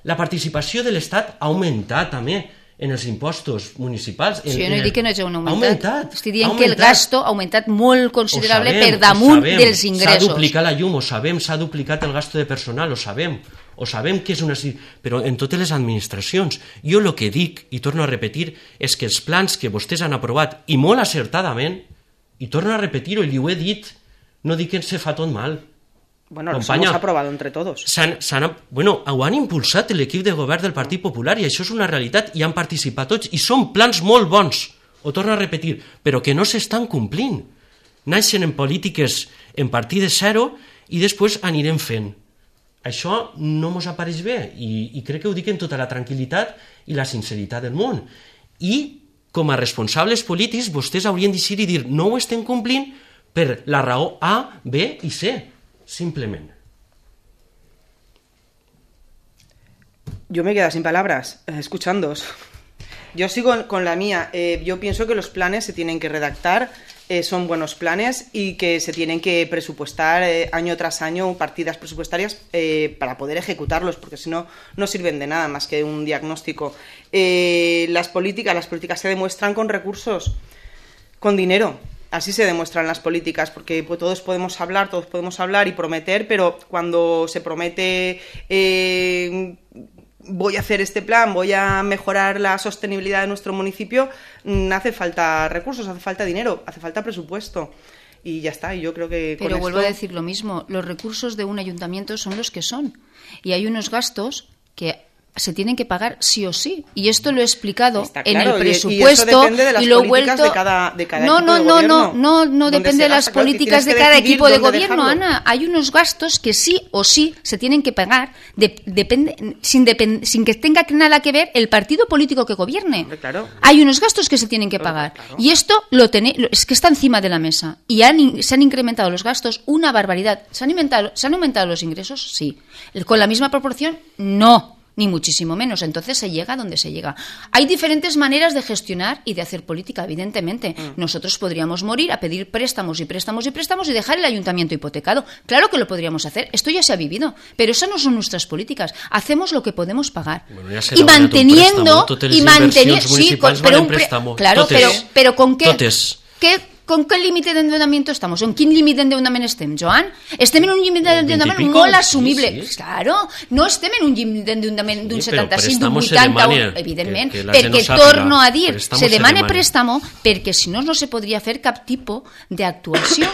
La participació de l'Estat ha augmentat també en els impostos municipals. En, si jo no en el... dic que no hagi augmentat, Ha augmentat. estic dient ha que el augmentat. gasto ha augmentat molt considerable Ho sabem, per damunt ho sabem. dels S'ha ingressos. duplicat la llum, ho sabem, s'ha duplicat el gasto de personal, ho sabem, ho sabem que és una... Però en totes les administracions, jo el que dic, i torno a repetir, és que els plans que vostès han aprovat, i molt acertadament, i torno a repetir-ho, i li ho he dit, no dic que se fa tot mal. Bueno, los Companya, hemos aprobado entre todos. s'han, s'han, bueno, ho han impulsat l'equip de govern del Partit Popular i això és una realitat i han participat tots i són plans molt bons, ho torno a repetir, però que no s'estan complint. Naixen en polítiques en partides zero i després anirem fent. Això no mos apareix bé i, i crec que ho dic amb tota la tranquil·litat i la sinceritat del món. I com a responsables polítics vostès haurien de dir i dir no ho estem complint per la raó A, B i C. Simplemente. Yo me quedo sin palabras, eh, escuchándoos. Yo sigo con la mía. Eh, yo pienso que los planes se tienen que redactar eh, son buenos planes y que se tienen que presupuestar eh, año tras año partidas presupuestarias eh, para poder ejecutarlos, porque si no, no sirven de nada más que un diagnóstico. Eh, las políticas, las políticas se demuestran con recursos, con dinero. Así se demuestran las políticas, porque pues, todos podemos hablar, todos podemos hablar y prometer, pero cuando se promete eh, voy a hacer este plan, voy a mejorar la sostenibilidad de nuestro municipio, hace falta recursos, hace falta dinero, hace falta presupuesto. Y ya está, y yo creo que Pero con vuelvo esto... a decir lo mismo, los recursos de un ayuntamiento son los que son. Y hay unos gastos que se tienen que pagar sí o sí, y esto lo he explicado Está en claro, el y- y eso presupuesto depende de las y lo he políticas vuelto de cada- de cada no equipo no de no gobierno. no no no Donde depende se de las gasta, claro, que políticas de tienes que cada decidir equipo de dónde gobierno, dejarlo. Ana. Hay unos gastos que sí o sí se tienen que pagar de- depende sin depen- sin que tenga nada que ver el partido político que gobierne. Hombre, claro. Hay unos gastos que se tienen que Claro, pagar claro. y esto lo tenéis, es que está encima de la mesa y han in- se han incrementado los gastos una barbaridad. ¿Se han aumentado, se han aumentado los ingresos? Sí. ¿Con la misma proporción? No. Ni muchísimo menos. Entonces se llega a donde se llega. Hay diferentes maneras de gestionar y de hacer política, evidentemente. Mm. Nosotros podríamos morir a pedir préstamos y préstamos y préstamos y dejar el ayuntamiento hipotecado. Claro que lo podríamos hacer. Esto ya se ha vivido. Pero esas no son nuestras políticas. Hacemos lo que podemos pagar. Bueno, ja y manteniendo... y manteniendo sí, con, pero un pre, claro, totes, pero, pero con qué... Totes. ¿Qué? ¿Con qué límite d'endeudament estamos? En quin límit d'endeudament estem, Joan? Estem en un límit d'endeudament molt assumible. Sí, sí. Claro, no estem en un límit d'endeudament d'un Sí, setanta-cinc, d'un préstamo se vuitanta, demana, evidentment, que- que la gent perquè ho sàpiga. torno a dir, Préstamo se se demana demana. préstamo perquè si no, no se podria fer cap tipus d'actuació.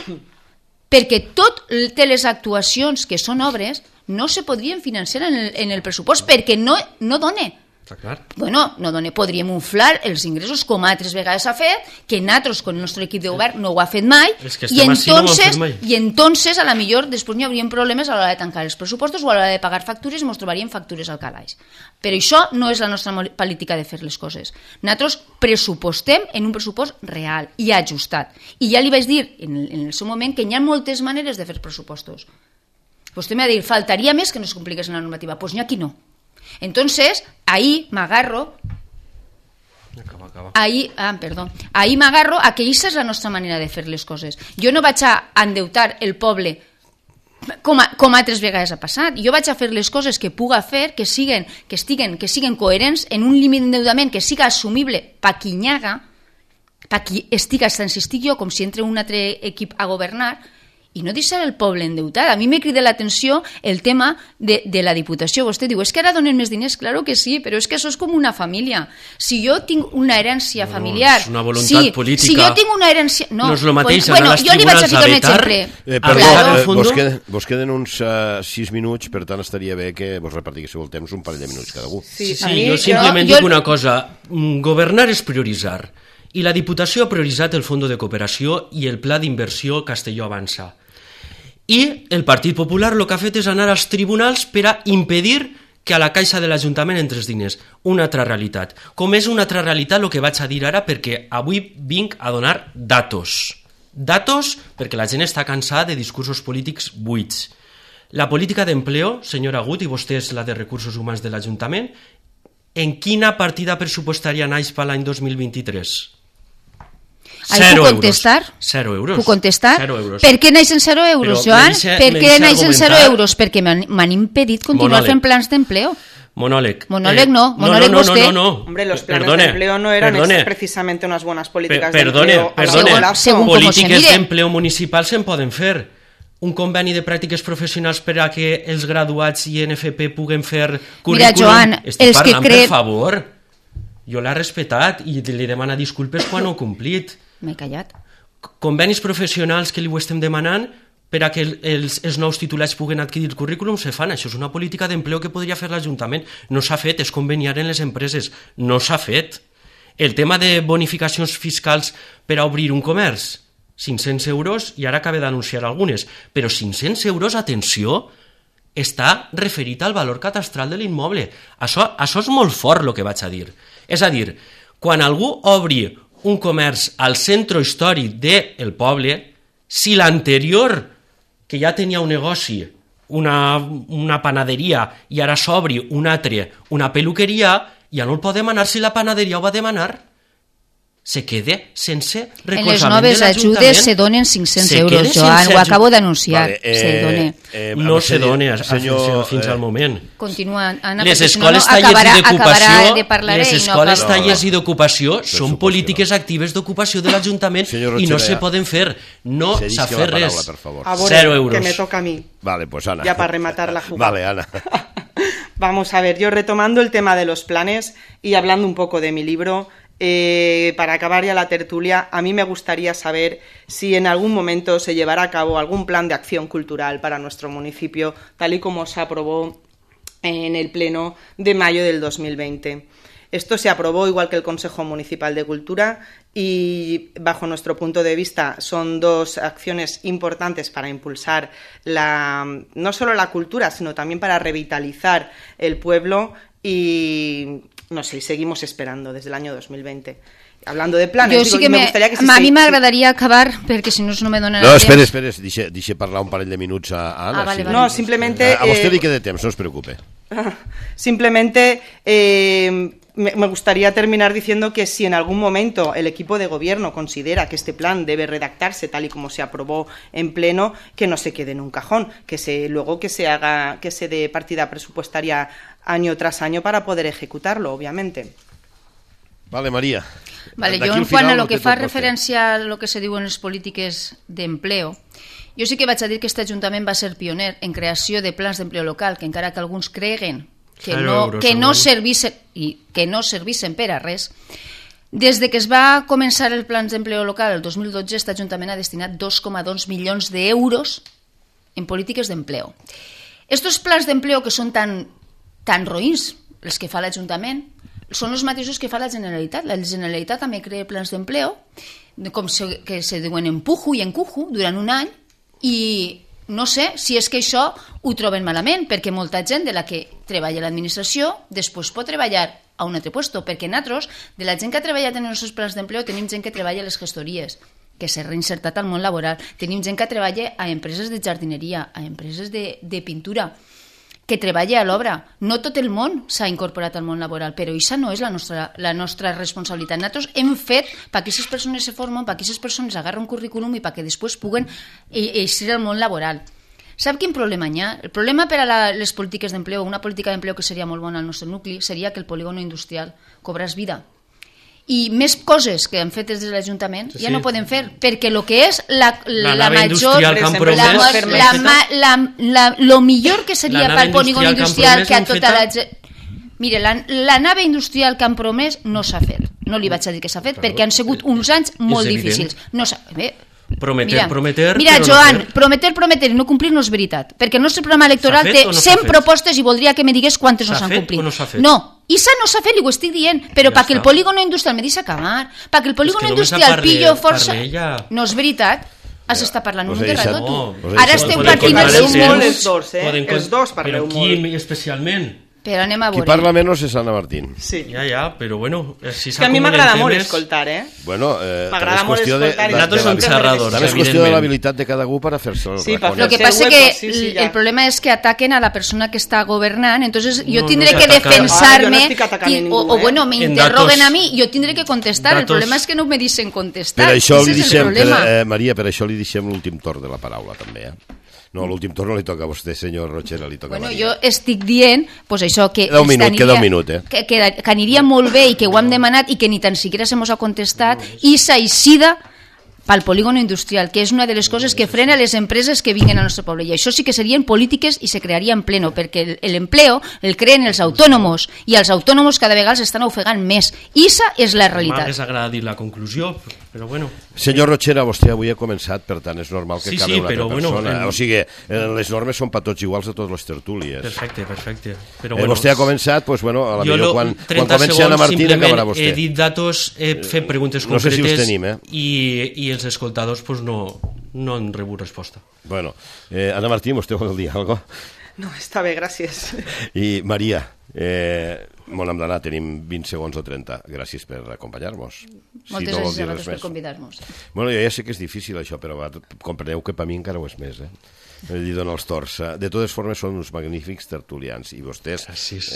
Perquè tot té les actuacions que són obres no se podrien financiar en el, en el pressupost perquè no, no dona. Està clar. Bueno, no dona, podríem inflar els ingressos com altres vegades ha fet, que nosaltres, con el nostre equip de govern, no ho ha fet mai, És que i estem així, no ho han entonces, fet mai. i entonces a la millor després n'hi hauríem problemes a l'hora de tancar els pressupostos o a l'hora de pagar factures i ens trobaríem factures al calaix. Però això no és la nostra política de fer les coses. Nosaltres pressupostem en un pressupost real i ajustat. I ja li vaig dir en el, en el seu moment que hi ha moltes maneres de fer pressupostos. Vostè m'ha dit, faltaria més que no es compligués en la normativa. Doncs pues n'hi ha qui no. Entonces, ahí me agarro Acaba, acaba. ahí, ah, perdó, ahí me agarro a que aquesta és la nostra manera de fer les coses. Jo no vaig a endeutar el poble com, a, com altres vegades ha passat. Jo vaig a fer les coses que puga fer, que siguen, que estiguen, que siguen coherents en un límit d'endeudament que siga assumible pa qui n'hi haga, pa qui estiga, tant si estic jo com si entre un altre equip a governar, i no deixar el poble endeutat. A mi me crida l'atenció el tema de, de la Diputació. Vostè diu, és que ara donen més diners? Claro que sí, però és que això és com una família. Si jo tinc una herència No, familiar... és una voluntat sí, política. Si jo tinc una herència... No, No és lo mateix pues, anar bueno, als jo li vaig a tribunals ficar a un vetar, exemple. Eh, A perdó, veure, eh, al fondo- vos, queden, vos queden uns uh, sis minuts, per tant estaria bé que vos repartíssiu el temps un parell de minuts cada un. Sí, a sí, mi- jo simplement jo- dic una cosa. Mm, Governar és prioritzar. I la Diputació ha prioritzat el Fons de Cooperació i el Pla d'Inversió Castelló Avança. I el Partit Popular el que ha fet és anar als tribunals per a impedir que a la caixa de l'Ajuntament entres diners. Una altra realitat. Com és una altra realitat el que vaig a dir ara, perquè avui vinc a donar datos. Datos perquè la gent està cansada de discursos polítics buits. La política d'empleo, senyor Agut, i vostè és la de Recursos Humans de l'Ajuntament, en quina partida pressupostària naix per l'any dos mil vint-i-tres? Ahí Zero puc euros. contestar? Zero euros. Puc contestar? Zero euros. Per què naixen zero euros, Però Joan? me deixa- Per me què deixa naixen zero argumentar. euros? Perquè m'han m'han impedit continuar Monòleg. fent plans d'empleo. Monòleg. Monòleg no, monòleg no, no, vostè. No, no, no. Hombre, los planes Perdone, de empleo no eran perdone. ex- precisamente unas buenas políticas Per- de perdone, empleo. a perdone. largo plazo. Según cómo se Polítiques mire. d'empleo municipal se'n poden fer. Un conveni de pràctiques professionals per a que els graduats i N F P puguen fer currículum. Mira, Joan, Estic els que parlant, cre- per favor. Jo l'he respetat i li demana disculpes quan ho he complit. M'he callat. Convenis professionals que li ho estem demanant per a que el- els, els nous titulats puguen adquirir currículum se fan. Això és una política d'empleo que podria fer l'Ajuntament. No s'ha fet, és conveniar en les empreses. No s'ha fet. El tema de bonificacions fiscals per a obrir un comerç, cinc-cents euros, i ara acaba d'anunciar algunes, però cinc-cents euros, atenció, està referit al valor catastral de l'immoble. Això, això és molt fort el que vaig a dir. És a dir, quan algú obri un comerç al centre històric del poble, si l'anterior, que ja tenia un negoci, una, una panaderia, i ara s'obri un altre, una peluqueria, ja no el pot demanar si la panaderia ho va demanar. se quede sense En les recolzament noves de l'Ajuntament. ajudes se donen cinc-cents Se euros, quede Joan, sense ho aju- acabo d'anunciar. Vale, eh, se dona. eh, No se senyor- dona a- a- senyor, fins eh, al moment. Continua, Anna, Les perquè si no, no escoles tallers acabarà, i acabarà d'ocupació, de parlar les i no escoles acaba. tallers i d'ocupació són suposo polítiques que no. actives d'ocupació de l'Ajuntament Senyor i no Rotxera, se poden fer. No cedisca s'ha la fet paraula, res. per favor. A ver, Cero euros. que me toca a mí. Vale, pues Ana. Ya para rematar la jugada. Vale, Ana. Vamos a ver, yo retomando el tema de los planes y hablando un poco de mi libro, eh, para acabar ya la tertulia, a mí me gustaría saber si en algún momento se llevará a cabo algún plan de acción cultural para nuestro municipio, tal y como se aprobó en el Pleno de mayo del dos mil veinte. Esto se aprobó igual que el Consejo Municipal de Cultura y, bajo nuestro punto de vista, son dos acciones importantes para impulsar la, no solo la cultura, sino también para revitalizar el pueblo y, no sé, seguimos esperando desde el año dos mil veinte. Hablando de planes, Jo digo, sí que y me me, gustaría que si a se- mi si- m'agradaria acabar, perquè si no no me donen No, el espera, temps. espera, deixa, deixa parlar un parell de minuts a a Ana. Ah, vale, si vale. No, simplemente... A, a vostè eh, li queda temps, no es preocupe. Simplemente eh, me, me gustaría terminar diciendo que si en algún momento el equipo de gobierno considera que este plan debe redactarse tal y como se aprobó en pleno, que no se quede en un cajón, que se luego que se haga, que se dé partida presupuestaria año tras año para poder ejecutarlo, obviamente. Vale, Maria. Vale, D'aquí jo al en quant final a lo no que té fa tot vostè. referència a lo que se diu en les polítiques d'empleo, jo sí que vaig a dir que aquest Ajuntament va ser pioner en creació de plans d'empleo local, que encara que alguns creguen que Zero no, euros que al no any. servissen i que no servissen per a res, des de que es va començar el plans d'empleo local el dos mil dotze, aquest Ajuntament ha destinat dos coma dos milions d'euros en polítiques d'empleo. Estos plans d'empleo que són tan, tan roïns, els que fa l'Ajuntament, són els mateixos que fa la Generalitat. La Generalitat també crea plans d'empleo, com se, que se diuen empujo i encujo, durant un any, i no sé si és que això ho troben malament, perquè molta gent de la que treballa a l'administració després pot treballar a un altre puesto, perquè nosaltres, de la gent que ha treballat en els nostres plans d'empleo, tenim gent que treballa a les gestories, que s'ha reinsertat al món laboral, tenim gent que treballa a empreses de jardineria, a empreses de, de pintura, que treballa a l'obra. No tot el món s'ha incorporat al món laboral, però això no és la nostra, la nostra responsabilitat. Nosaltres hem fet perquè aquestes persones se formen, perquè aquestes persones agarren un currículum i perquè després puguen eixir al món laboral. Sap quin problema hi ha? El problema per a la, les polítiques d'empleo, una política d'empleo que seria molt bona al nostre nucli, seria que el polígono industrial cobrés vida. I més coses que han fet des de l'Ajuntament Sí, ja sí. no poden fer, perquè el que és la, la, La la nave major... industrial que han la, promès, la, l'han la, feta. ma- la, la, lo millor que seria La pel nave polígon industrial industrial que que a han promès, tota la l'han gent... Mire, la, la nave industrial que han promès no s'ha fet. No li vaig a dir que s'ha fet, perquè han sigut uns anys molt evident. difícils. No s'ha... Bé, Prometer, mira, prometer, Mira, però no Joan, fer. prometer, prometer i no complir no és veritat. Perquè el nostre programa electoral S'ha fet té o no s'ha cent fet? propostes i voldria que me digués quantes no S'ha s'han fet complit. o no s'ha fet? No, Issa no s'ha fet, li ho estic dient, però Ja perquè el està. polígono industrial, me deixa acabar, perquè el polígono És que només industrial parle- pillo força... parle ella. No és veritat, has estat parlant Us un he de deixat- rato, tu. No, us he Ara deixat- esteu Podem partint contar els el uns temps. molt... Els dos, eh? Poden Els dos parleu Però qui molt. especialment? Però anem a Qui veure. parla menys és Anna Martín. Sí. Ja, ja, però bueno, eh, si És que a mi s'acumulen m'agrada molt temes- escoltar, eh? Bueno, eh, també M'agrada és molt qüestió de, escoltar i de, Nosaltres de, som de, xerradors, també és qüestió de evidentment. l'habilitat de cada algú per a fer-se el Sí, per Lo que Hacer passa hueco, que sí, sí, el- ya. el problema es que ataquen a la persona que está gobernant, entonces yo No, tendré no que se ataca. Ah, yo no defensarme estoy atacando a y- o, ninguno, o ¿eh? bueno, me En interroguen datos- a mí, yo tendré que contestar. El datos- problema es que no me dicen contestar. Per això Ese li és el deixem, per, problema. eh, Maria, per això li deixem l'últim torn de la paraula, també, eh? No, l'últim torn no li toca a vostè, senyor Rotxera, li toca Bueno, a Maria. jo estic dient pues això, que, Queda un minut, estaria- queda un minut, eh? que, que, que aniria molt bé i que ho hem demanat i que ni tan siquiera se mos ha contestat i s'aixida pel polígono industrial, que és una de les coses que frena les empreses que vinguen al nostre poble. I això sí que serien polítiques i se crearia en pleno, perquè l'empleo el creen els autònomos i els autònomos cada vegada s'estan ofegant més. Issa és la realitat. M'hagués agradat dir la conclusió, però bueno. Senyor Rotxera, vostè avui ha començat, per tant és normal que Sí, acabi sí, una però altra bueno, persona. en- O sigui, eh, les normes són per tots iguals a totes les tertúlies. Perfecte, perfecte. Però Eh, bueno, vostè ha començat, doncs, bueno, a la jo millor lo- quan, quan trenta comenci Anna segons, Martín simplement acabarà vostè. He dit datos, he fet preguntes no sé si concretes us tenim, eh? i, i els escoltadors pues, no, no han rebut resposta. Bueno, eh, Anna Martín, vostè vol dir alguna cosa? No, està bé, gràcies. I Maria, eh, bon hem d'anar, tenim vint segons o trenta. Gràcies per acompanyar-nos. Moltes no vol gràcies dir a res vosaltres per més. convidar-nos. Bueno, jo ja sé que és difícil això, però va, compreneu que per mi encara ho és més, eh? li dono els torts. De totes formes, són uns magnífics tertulians, i vostès,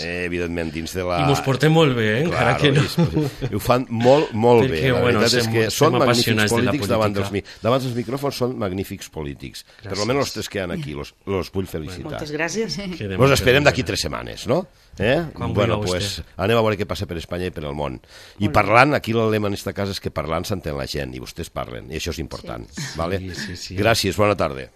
eh, evidentment, dins de la... I mos portem molt bé, eh? Encara claro, que no. I ho fan molt, molt Perquè, bé. La bueno, veritat és que són magnífics polítics de davant dels, davant dels micròfons, són magnífics polítics. Gràcies. Per almenys els tres que hi ha aquí, los, los vull felicitar. Moltes gràcies. Nos esperem d'aquí tres setmanes, no? Eh? Quan Bueno, vulgueu pues, vostè. anem a veure què passa per Espanya i per el món. I parlant, aquí el lema en esta casa és que parlant s'entén la gent, i vostès parlen, i això és important. Sí. Vale? Sí, sí, sí. Gràcies, bona tarda.